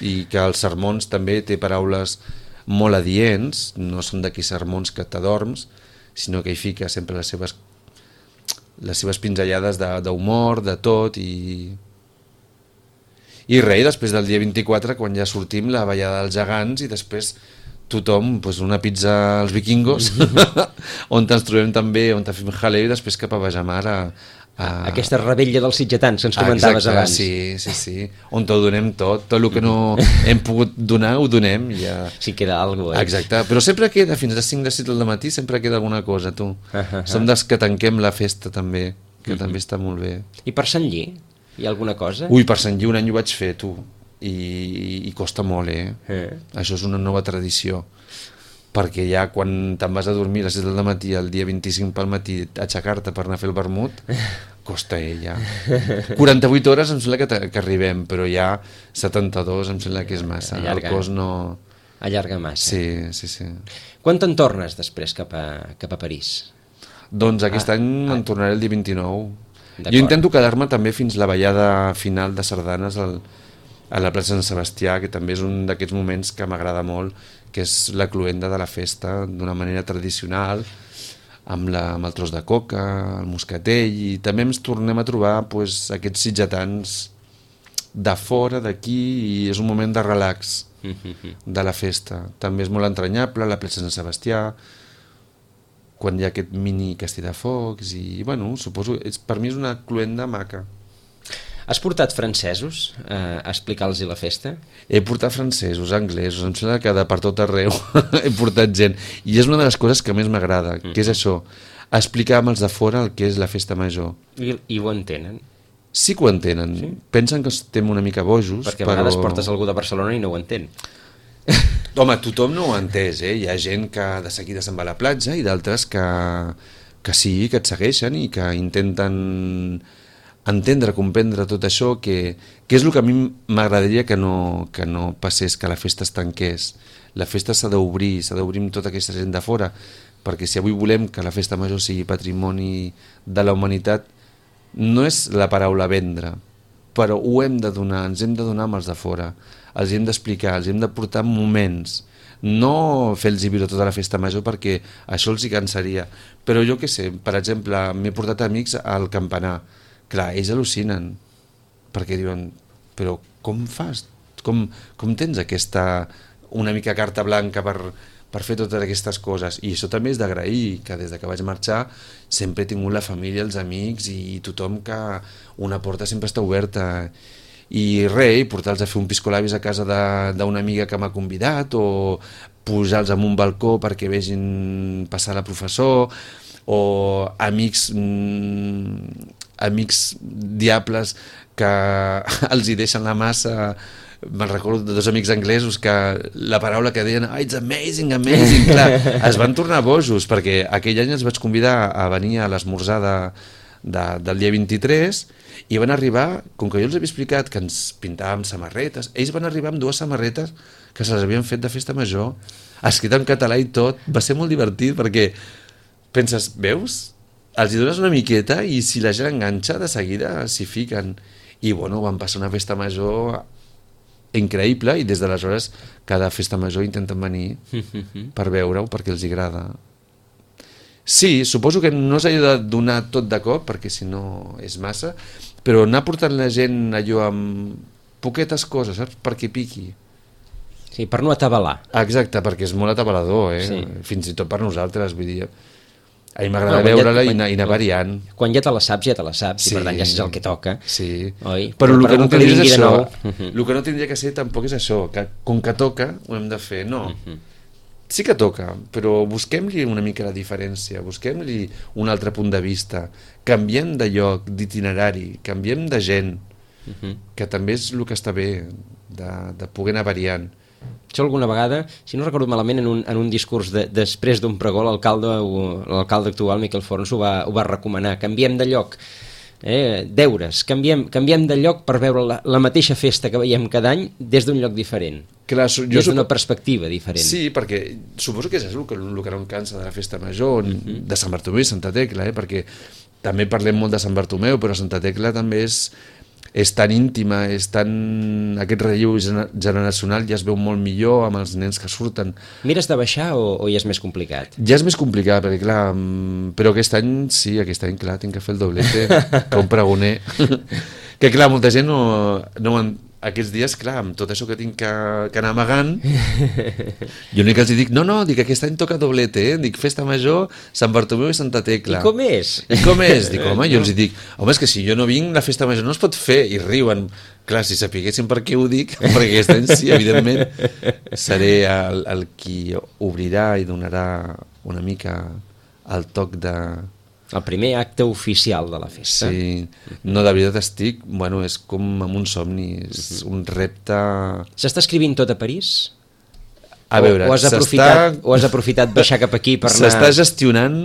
i que els sermons també té paraules molt adients, no són d'aquells sermons que t'adorms, sinó que hi fica sempre les seves, les seves pinzellades d'humor, de, de tot, i... I res, després del dia vint-i-quatre, quan ja sortim, la ballada dels gegants, i després tothom, pues, una pizza als vikingos, on ens trobem també, on fem jaleo, i després cap a Bajamar a, a...
Aquesta rebella dels sitgetans que ens comentaves
Exacte,
abans.
Sí, sí, sí, on ho donem tot, tot el que no hem pogut donar ho donem. Ja...
Sí, queda alguna cosa, eh?
Exacte, però sempre queda, fins a les cinc de set del matí, sempre queda alguna cosa, tu. Uh -huh. Som dels que tanquem la festa també, que uh -huh. també està molt bé.
I per Sant Lli? Hi ha alguna cosa?
Ui, per Sant Lli un any ho vaig fer, tu, i, i costa molt, eh? eh? Això és una nova tradició, perquè ja quan te'n vas a dormir a les set del matí, el dia vint-i-cinc pel matí, aixecar-te per anar a fer el vermut, costa, eh, ja. quaranta-vuit hores em sembla que, que arribem, però ja setanta-dos em sembla que és massa. Allarga. El cos no...
Allarga massa.
Sí, sí, sí.
Quan te'n tornes després cap a, cap a París?
Doncs aquest ah, any ah. em tornaré el dia vint-i-nou. Jo intento quedar-me també fins la ballada final de sardanes al, a la plaça Sant Sebastià, que també és un d'aquests moments que m'agrada molt, que és la cloenda de la festa, d'una manera tradicional, amb, la, amb el tros de coca, el moscatell, i també ens tornem a trobar pues, aquests sitgetans de fora, d'aquí, i és un moment de relax de la festa. També és molt entranyable, la plaça Sant Sebastià, quan hi ha aquest mini castell de focs, i bueno, suposo, és, per mi és una cloenda maca.
Has portat francesos eh, a explicar-los la festa?
He portat francesos, anglesos, em sembla que de per tot arreu he portat gent, i és una de les coses que més m'agrada, mm. que és això, explicar amb els de fora el que és la festa major.
I, i ho entenen?
Sí que ho entenen, sí? Pensen que estem una mica bojos,
perquè a
però...
vegades portes algú de Barcelona i no ho entén.
Home, tothom no ho ha entès, eh? Hi ha gent que de seguida se'n va a la platja i d'altres que, que sí, que et segueixen i que intenten entendre, comprendre tot això, que, que és el que a mi m'agradaria que, no, que no passés, que la festa es tanqués. La festa s'ha d'obrir, s'ha d'obrir amb tota aquesta gent de fora, perquè si avui volem que la festa major sigui patrimoni de la humanitat, no és la paraula vendre, però ho hem de donar, ens hem de donar amb els de fora, els hem d'explicar, els hem de portar moments, no fer-los viure tota la festa major perquè això els hi cansaria, però jo què sé, per exemple, m'he portat amics al campanar. Clar, ells al·lucinen, perquè diuen, però com fas? Com, com tens aquesta una mica carta blanca per, per fer totes aquestes coses? I això també és d'agrair, que des de que vaig marxar sempre he tingut la família, els amics i tothom, que una porta sempre està oberta. I res, portar-los a fer un piscolabis a casa d'una amiga que m'ha convidat, o pujar-los en un balcó perquè vegin passar la professor, o amics mmm, amics diables que els hi deixen la massa. Me'n recordo de dos amics anglesos que la paraula que deien, oh, it's amazing, amazing, clar, es van tornar bojos, perquè aquell any els vaig convidar a venir a l'esmorzar de, de, del dia vint-i-tres, i van arribar, com que jo els havia explicat que ens pintàvem samarretes, ells van arribar amb dues samarretes que se les havien fet de festa major, escrit en català i tot. Va ser molt divertit perquè penses, veus? Els hi dones una miqueta i si la gent enganxa, de seguida s'hi fiquen. I bueno, van passar una festa major increïble, i des d'aleshores cada festa major intenten venir per veure-ho, perquè els agrada. Sí, suposo que no s'ha de donar tot de cop, perquè si no és massa, però anar portant la gent allò amb poquetes coses, saps? Perquè piqui.
Sí, per no atabalar.
Exacte, perquè és molt atabalador, eh? Sí. Fins i tot per nosaltres, vull dir... A mi m'agrada no, veure-la i, i anar variant.
Quan ja te la saps, ja te la saps, sí. I per tant ja saps el que toca.
Sí,
oi?
Però, però el que no tindria és això. El que no tindria que ser tampoc és això, que com que toca ho hem de fer. No, uh-huh. Sí que toca, però busquem-li una mica la diferència, busquem-li un altre punt de vista, canviem de lloc, d'itinerari, canviem de gent, uh-huh. Que també és el que està bé, de, de poder anar variant.
Això alguna vegada, si no recordo malament, en un, en un discurs de, després d'un pregó, l'alcalde l'alcalde actual, Miquel Forns, ho va, ho va recomanar. Canviem de lloc, eh, deures, canviem, canviem de lloc per veure la, la mateixa festa que veiem cada any des d'un lloc diferent.
Clar, jo
des d'una perspectiva diferent.
Sí, perquè suposo que és el que, el que no em cansa de la festa major, uh-huh. De Sant Bartomeu i Santa Tecla, eh, perquè també parlem molt de Sant Bartomeu, però Santa Tecla també és... és tan íntima, és tan... aquest relleu generacional ja es veu molt millor amb els nens que surten.
Mires de baixar o, o ja és més complicat?
Ja és més complicat, perquè clar, però aquest any, sí, aquest any, clar, tinc que fer el doblete, com pregoner. Que clar, molta gent no... no aquests dies, clar, amb tot això que tinc que, que anar amagant, jo l'únic que els dic, no, no, dic, aquest any toca doblete, eh? Dic, festa major, Sant Bartomeu i Santa Tecla.
I com és?
I com és? Dic, home, jo els dic, home, és que si jo no vinc, la festa major no es pot fer, i riuen. Clar, si sapiguessin per què ho dic, perquè aquest any sí, evidentment, seré el, el qui obrirà i donarà una mica el toc de...
El primer acte oficial de la festa.
Sí, no, de veritat estic, bueno, és com amb un somni, és un repte...
S'està escrivint tot a París?
A veure,
o, o, has aprofitat, o has aprofitat baixar cap aquí per anar...
S'està gestionant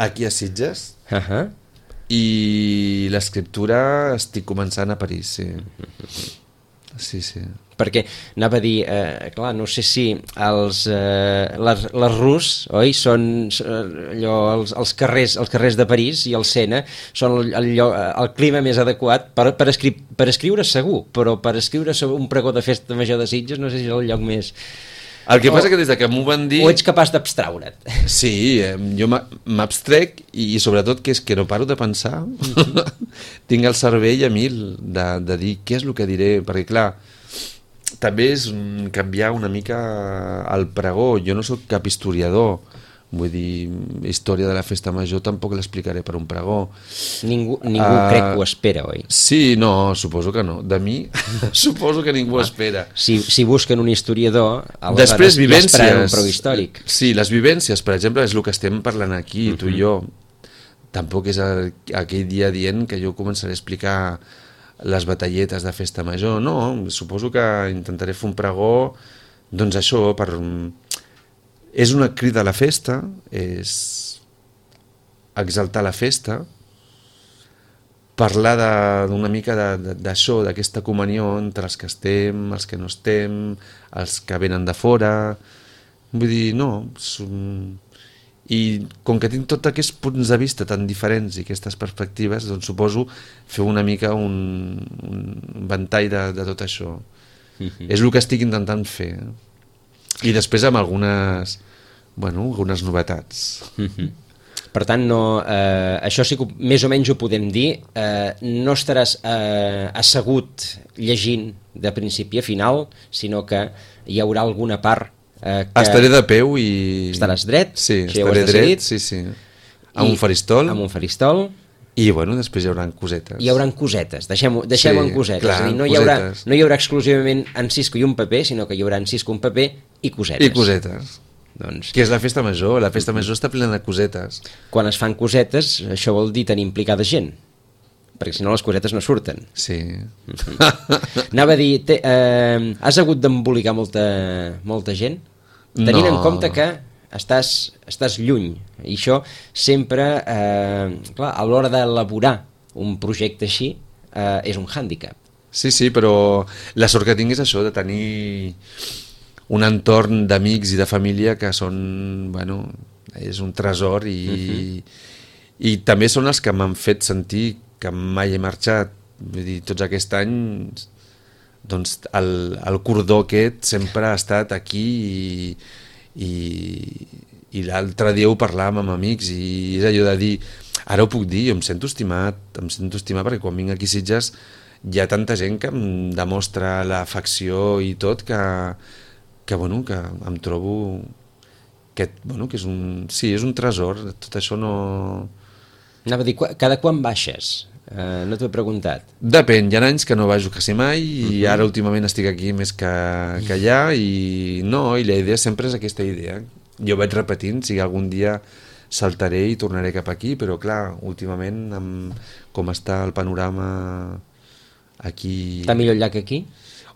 aquí a Sitges,
uh -huh.
i l'escriptura estic començant a París, sí. Sí, sí.
Perquè anava a dir, eh, clar, no sé si els, eh, les, les Rus, oi, són allò, els, els, carrers, els carrers de París i el Sena són el, el, el clima més adequat per, per, escri per escriure segur, però per escriure sobre un pregó de festa major de Sitges no sé si és el lloc més...
El que o, passa que des de que m'ho van dir...
O ets capaç d'abstraure't.
Sí, eh, jo m'abstrec i, i sobretot que és que no paro de pensar. Mm-hmm. Tinc el cervell a mil de, de dir què és el que diré, perquè clar, també és canviar una mica el pregó. Jo no sóc cap historiador, vull dir, història de la festa major tampoc l'explicaré per un pregó.
Ningú, ningú uh, crec que ho espera, oi?
Sí, no, suposo que no. De mi, suposo que ningú ah, espera.
Si, si busquen un historiador,
després vivències,
ja un pregó històric.
Sí, les vivències, per exemple, és el que estem parlant aquí, uh-huh. tu i jo. Tampoc és el, aquell dia dient que jo començaré a explicar les batalletes de festa major, no, suposo que intentaré fer un pregó, doncs això, per... és una crida a la festa, és exaltar la festa, parlar d'una mica d'això, d'aquesta comunió entre els que estem, els que no estem, els que venen de fora, vull dir, no, i com que tinc tots aquests punts de vista tan diferents i aquestes perspectives, doncs suposo fer una mica un, un ventall de, de tot això. Mm-hmm. És el que estic intentant fer. I després amb algunes, bueno, algunes novetats.
Mm-hmm. Per tant, no, eh, això sí que més o menys ho podem dir, eh, no estaràs eh, assegut llegint de principi a final, sinó que hi haurà alguna part Eh, que
estaré de peu i...
Estaràs dret?
Sí, estaré dret, sí, sí. Amb un faristol.
Amb un faristol.
I, bueno, després hi haurà cosetes.
Hi haurà cosetes, deixem-ho deixem sí, en cosetes.
Clar,
és a dir, no,
cosetes.
Hi haurà, no hi haurà exclusivament en cisco i un paper, sinó que hi haurà en cisco, un paper i cosetes.
I cosetes.
Doncs...
Que és la festa major, la festa major està plena de cosetes.
Quan es fan cosetes, això vol dir tenir implicada gent, perquè si no les cosetes no surten.
Sí.
Mm-hmm. Anava a dir, te, eh, has hagut d'embolicar molta, molta gent? Tenint no. en compte que estàs, estàs lluny, i això sempre, eh, clar, a l'hora d'elaborar un projecte així, eh, és un hàndicap.
Sí, sí, però la sort que tinc és això, de tenir un entorn d'amics i de família que són, bueno, és un tresor i, uh-huh. i també són els que m'han fet sentir que mai he marxat. Vull dir, tots aquest any... doncs el, el cordó aquest sempre ha estat aquí i, i, i l'altre dia ho parlàvem amb amics i és allò de dir, ara ho puc dir, jo em sento estimat, em sento estimat perquè quan vinc aquí a Sitges hi ha tanta gent que em demostra l'afecció i tot que, que, bueno, que em trobo que, bueno, que és un, sí, és un tresor, tot això no...
Anava a dir, cada quan baixes? Uh, no t'ho he preguntat.
Depèn, hi ha anys que no baixo quasi mai i uh-huh. ara últimament estic aquí més que, que allà i no, i la idea sempre és aquesta idea. Jo vaig repetint, si algun dia saltaré i tornaré cap aquí, però clar, últimament amb com està el panorama aquí...
Està millor allà que aquí?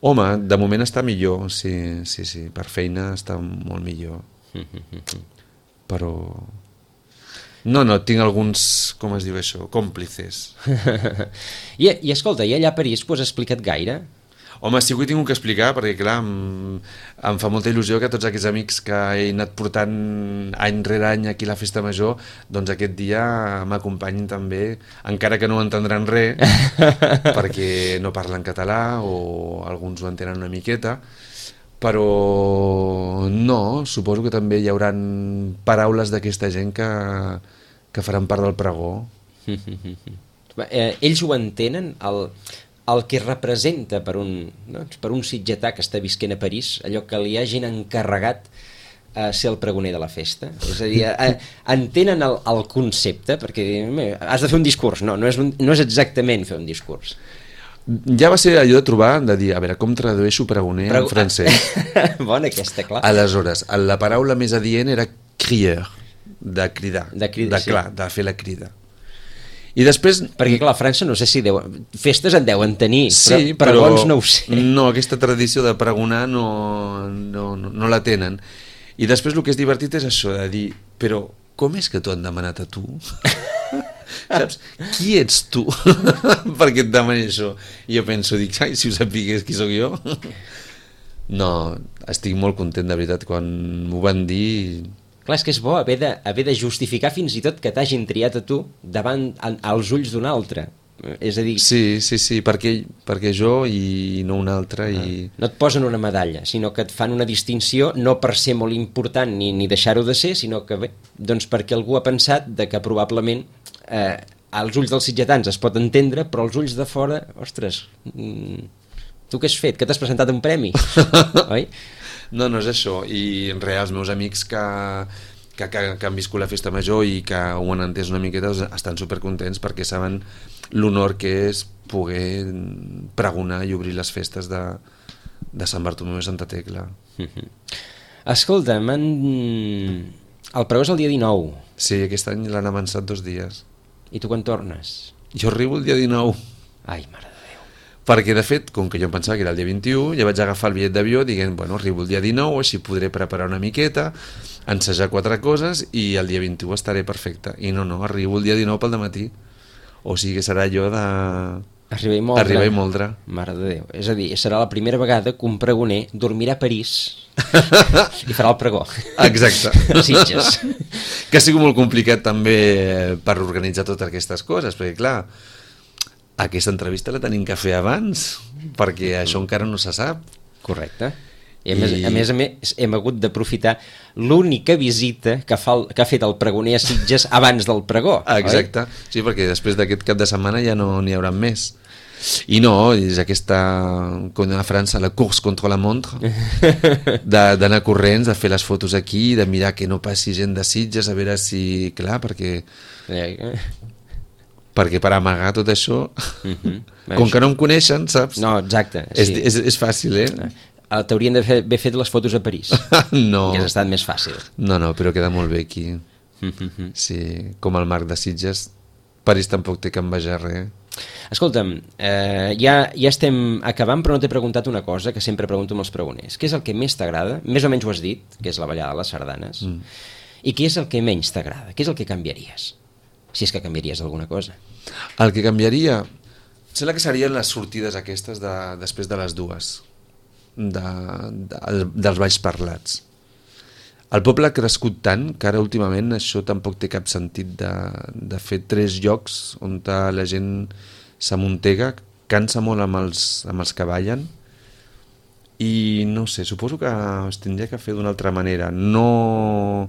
Home, de moment està millor, sí, sí, sí, per feina està molt millor. Uh-huh. Però... No, no, tinc alguns, com es diu això, còmplices.
I, I escolta, i allà a París t'ho has explicat gaire?
Home, sí que ho he tingut que explicar, perquè clar, em, em fa molta il·lusió que tots aquests amics que he anat portant any rere any aquí a la festa major, doncs aquest dia m'acompanyin també, encara que no entendran res, perquè no parlen català o alguns ho entenen una miqueta, però no, suposo que també hi haurà paraules d'aquesta gent que, que faran part del pregó.
eh, ells ho entenen, el... el que representa per un, no? per un sitgetà que està visquent a París, allò que li hagin encarregat a ser el pregoner de la festa. És a dir, a, entenen el, el concepte, perquè has de fer un discurs. No, no és, un, no és exactament fer un discurs.
Ja va ser allò de trobar, de dir, a veure, com tradueixo pregoner Prego... en francès?
Bona aquesta, clar.
Aleshores, la paraula més adient era crier, de cridar,
de, cridar,
de, clar, sí. de fer la crida. I després...
Perquè clar, a França no sé si deu... festes en deuen tenir,
sí,
però pregons no ho sé.
No, aquesta tradició de pregonar no, no, no, no la tenen. I després el que és divertit és això, de dir, però com és que t'ho han demanat a tu? Saps? Qui ets tu perquè et demani això? I jo penso, dic, ai, si ho sapigués qui sóc jo. No, estic molt content, de veritat, quan m'ho van dir...
Clar, és que és bo haver de, haver de justificar fins i tot que t'hagin triat a tu davant a, als ulls d'un altre. És a dir...
Sí, sí, sí, perquè, perquè jo i no un altre. I...
No et posen una medalla, sinó que et fan una distinció no per ser molt important ni, ni deixar-ho de ser, sinó que bé, doncs perquè algú ha pensat de que probablement eh, als ulls dels sitgetans es pot entendre, però als ulls de fora, ostres, mm, tu què has fet? Que t'has presentat un premi? Oi?
No, no és això, i en real els meus amics que, que, que, que han viscut la festa major i que ho han entès una miqueta estan supercontents perquè saben l'honor que és poder pregonar i obrir les festes de, de Sant Bartomeu i Santa Tecla.
Escolta, man... el pregó és el dia dinou.
Sí, aquest any l'han avançat dos dies.
I tu quan tornes?
Jo arribo el dia dinou.
Ai, mare.
Perquè, de fet, com que jo em pensava que era el dia vint-i-u, ja vaig agafar el bitllet d'avió dient, bueno, arribo el dia dinou, així podré preparar una miqueta, ensejar quatre coses i el dia vint-i-u estaré perfecte. I no, no, arribo el dia dinou pel dematí. O sigui que serà allò de...
Arribar i moldre.
Arribar i moldre.
Mare de Déu. És a dir, serà la primera vegada que un pregoner dormirà a París i farà el pregó.
Exacte.
Sitges.
Que ha sigut molt complicat també per organitzar totes aquestes coses, perquè clar... Aquesta entrevista la tenim que fer abans, perquè això encara no se sap.
Correcte. I a més, I... a més a més hem hagut d'aprofitar l'única visita que, fa el, que ha fet el pregoner a Sitges abans del pregó.
Exacte, oi? Sí, perquè després d'aquest cap de setmana ja no n'hi haurà més. I no, és aquesta, com a França, la course contra la montre, d'anar corrents, de fer les fotos aquí, de mirar que no passi gent de Sitges, a veure si... Clar, perquè... perquè per amagar tot això, uh-huh. com que no em coneixen, saps?
No, exacte.
És,
sí.
és, és fàcil, eh?
T'haurien d'haver fet les fotos a París.
No.
Que has estat més fàcil.
No, no, però queda molt bé aquí. Uh-huh. Sí, com el Marc de Sitges, París tampoc té que envejar res.
Escolta'm, eh, ja, ja estem acabant, però no t'he preguntat una cosa que sempre pregunto amb els pregoners. Què és el que més t'agrada? Més o menys ho has dit, que és la ballada de les sardanes. Mm. I què és el que menys t'agrada? Què és el que canviaries? Si és que canviaries alguna cosa.
El que canviaria, sembla que serien les sortides aquestes de, després de les dues, de, de, dels balls parlats. El poble ha crescut tant que ara últimament això tampoc té cap sentit de, de fer tres llocs on la gent s'amuntega, cansa molt amb els, amb els que ballen i no sé, suposo que es tindria que fer d'una altra manera. No...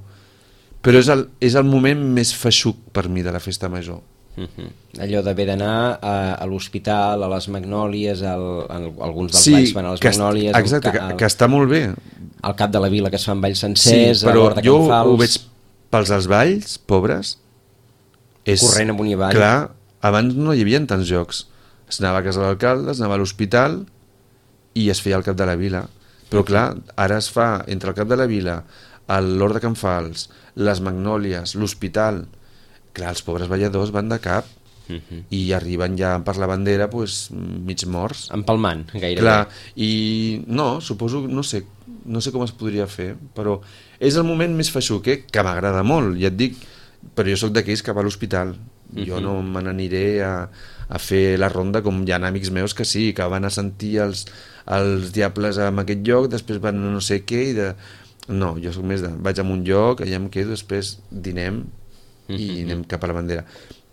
Però és el, és el moment més feixuc per mi de la festa major.
Uh-huh. Allò d'haver d'anar a, a l'hospital, a les Magnòlies, al, a, alguns dels
sí,
balls van a les Magnòlies...
Exacte,
al,
que, que està molt bé.
Al cap de la vila que es fan balls sencers,
sí, però
a l'hora de
jo
Can Fals...
ho veig pels dels balls, pobres... És,
corrent amunt i avall.
Clar, abans no hi havia tants jocs. Es anava a casa de l'alcalde, es anava a l'hospital i es feia al cap de la vila. Però clar, ara es fa entre el cap de la vila, l'Hort de Can Fals, les Magnòlies, l'hospital. Clar, els pobres balladors van de cap uh-huh. i arriben ja per la bandera pues, mig morts.
Empalmant, gairebé.
Clar, i no, suposo, no sé, no sé com es podria fer, però és el moment més feixuc, eh? Que m'agrada molt, ja et dic, però jo sóc d'aquells que va a l'hospital. Uh-huh. Jo no me n'aniré a, a fer la ronda com hi ha amics meus que sí, que van a sentir els, els diables en aquest lloc, després van a no sé què i de... No, jo soc més de... Vaig a un lloc, allà em quedo, després dinem i uh-huh. anem cap a la bandera.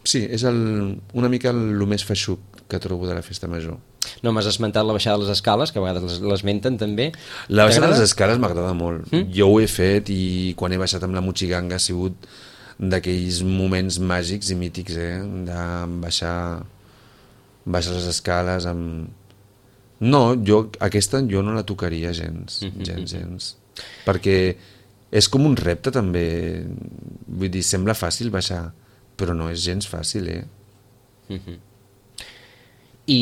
Sí, és el, una mica el, el més feixuc que trobo de la festa major.
No, m'has esmentat la baixada de les escales, que a vegades l'esmenten també.
La baixada de les escales m'agrada molt. Mm? Jo ho he fet i quan he baixat amb la motxiganga ha sigut d'aquells moments màgics i mítics, eh? De baixar, baixar les escales amb... No, jo, aquesta jo no la tocaria gens, mm-hmm. gens, gens. Perquè és com un repte també. Vull dir, sembla fàcil baixar, però no és gens fàcil, eh?
Mm-hmm. I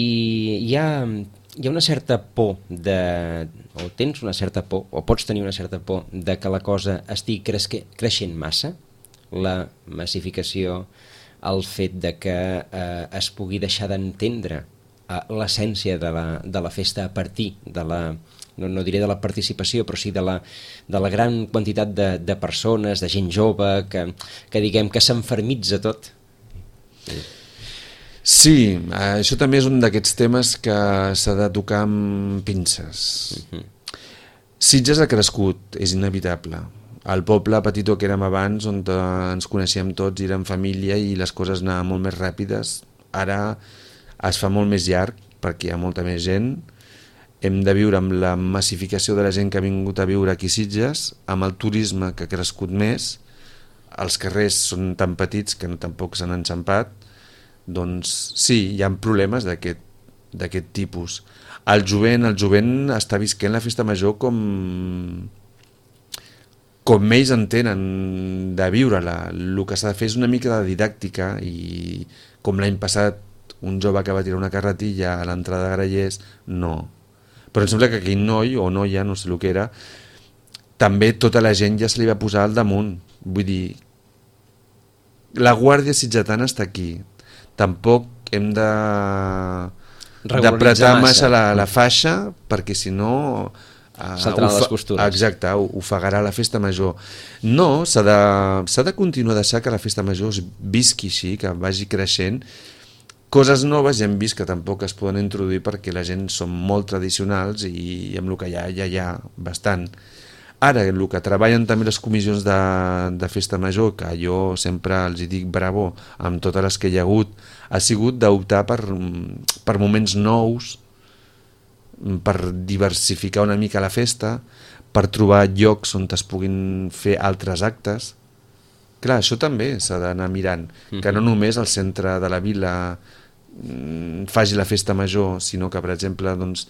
hi ha, hi ha una certa por de, o tens una certa por, o pots tenir una certa por de que la cosa estigui cresque, creixent massa, la massificació, el fet de que eh, es pugui deixar d'entendre eh, l'essència de la, de la festa a partir de la, no, no diré de la participació, però sí de la, de la gran quantitat de, de persones, de gent jove, que, que diguem que s'enfermitza tot. Sí.
Sí, això també és un d'aquests temes que s'ha de tocar amb pinces. Uh-huh. Sitges ha crescut, és inevitable. El poble petitó que érem abans, on ens coneixíem tots i érem família i les coses anaven molt més ràpides, ara es fa molt més llarg perquè hi ha molta més gent. Hem de viure amb la massificació de la gent que ha vingut a viure aquí a Sitges, amb el turisme que ha crescut més, els carrers són tan petits que no, tampoc s'han enxampat. Doncs sí, hi ha problemes d'aquest d'aquest tipus. El jovent, el jovent està visquent la festa major com com ells entenen de viure-la. El que s'ha de fer és una mica de didàctica i com l'any passat un jove que va tirar una carretilla a l'entrada de Grallers, no. Però em sembla que aquell noi o noia, no sé el que era, també tota la gent ja se li va posar al damunt. Vull dir, la guàrdia sitgetana està aquí. Tampoc hem de d'apretar massa la, la faixa perquè si no
saltaran les costures.
Exacte, ofegarà la festa major. No, s'ha de, s'ha de continuar a deixar que la festa major es visqui així, que vagi creixent. Coses noves ja hem vist que tampoc es poden introduir perquè la gent són molt tradicionals i amb el que hi ha, ja hi ha bastant. Ara, el que treballen també les comissions de, de festa major, que jo sempre els dic bravo amb totes les que hi ha hagut, ha sigut d'optar per, per moments nous, per diversificar una mica la festa, per trobar llocs on es puguin fer altres actes. Clar, això també s'ha d'anar mirant, mm-hmm. que no només el centre de la vila faci la festa major, sinó que, per exemple, doncs,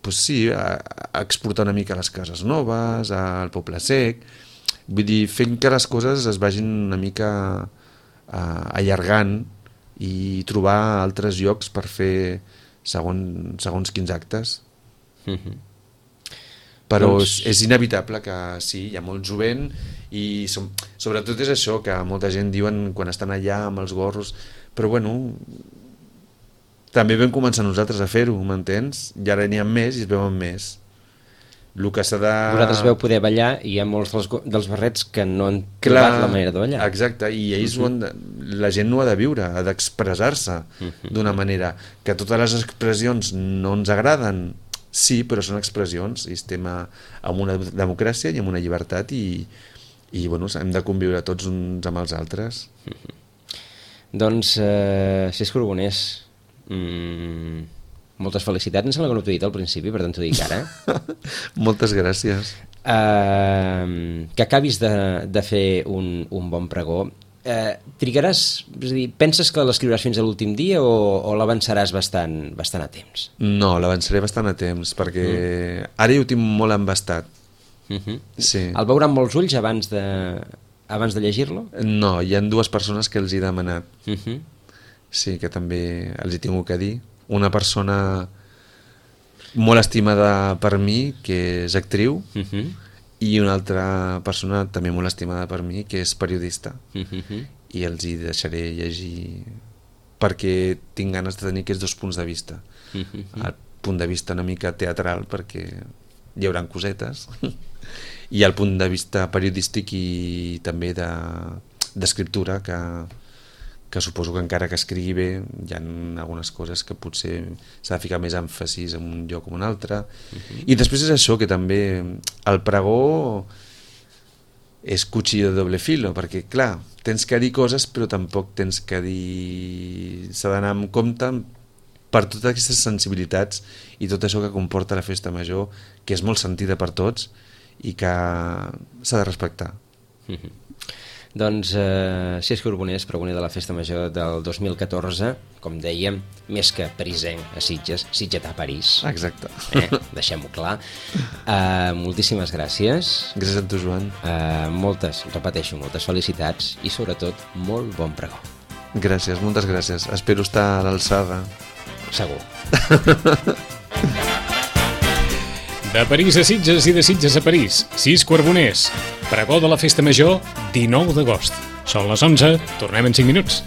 pues sí, a, a exportar una mica les cases noves, al Poble Sec, vull dir, fent que les coses es vagin una mica a, allargant i trobar altres llocs per fer segons, segons quins actes. Mm-hmm. Però doncs... és, és inevitable que sí, hi ha molt jovent i som, sobretot és això que molta gent diuen quan estan allà amb els gorros, però bueno, també vam començar nosaltres a fer-ho, m'entens? I ara n'hi ha més i es veuen més. El que s'ha de...
Vosaltres veu poder ballar i hi ha molts dels, dels barrets que no han trobat Clar, la manera de ballar.
Exacte, i ells uh-huh. de, la gent no ha de viure, ha d'expressar-se uh-huh. d'una manera. Que totes les expressions no ens agraden, sí, però són expressions i estem a, en una democràcia i en una llibertat i, i bueno, hem de conviure tots uns amb els altres.
Uh-huh. Doncs, eh, Cesc Carbonés, Mm, moltes felicitats. Em sembla que no t'ho he dit al principi, per tant t'ho dic ara.
Moltes gràcies.
Uh, que acabis de, de fer un, un bon pregó. Uh, trigaràs, és a dir, penses que l'escriuràs fins a l'últim dia o, o l'avançaràs bastant, bastant a temps?
No, l'avançaré bastant a temps, perquè mm. ara ja ho tinc molt embastat.
Uh-huh.
Sí.
El veurà amb molts ulls abans de, abans de llegir-lo?
No, hi ha dues persones que els he demanat.
Uh-huh.
Sí, que també els hi tinc que dir. Una persona molt estimada per mi, que és actriu, uh-huh. i una altra persona també molt estimada per mi, que és periodista. Uh-huh. I els hi deixaré llegir perquè tinc ganes de tenir aquests dos punts de vista. Uh-huh. El punt de vista una mica teatral, perquè hi haurà cosetes, i el punt de vista periodístic i també de, d'escriptura, que que suposo que encara que escrigui bé hi ha algunes coses que potser s'ha de ficar més èmfasis en un lloc o en un altre. Uh-huh. I després és això, que també el pregó és cuchillo de doble filo, perquè clar, tens que dir coses però tampoc tens que dir... s'ha d'anar amb compte per totes aquestes sensibilitats i tot això que comporta la festa major, que és molt sentida per tots i que s'ha de respectar.
Uh-huh. Doncs eh, Cesc Carboners, pregoner de la Festa Major del dos mil catorze, com dèiem, més que parisenc a Sitges, sitgetà a París.
Exacte.
Eh? Deixem-ho clar. Uh, moltíssimes gràcies.
Gràcies a tu, Joan.
Uh, moltes, repeteixo, moltes felicitats i sobretot molt bon pregó.
Gràcies, moltes gràcies. Espero estar a l'alçada.
Segur.
De París a Sitges i de Sitges a París, Cis Carboners. Pregó de la Festa Major, dinou d'agost. Són les onze, tornem en cinc minuts.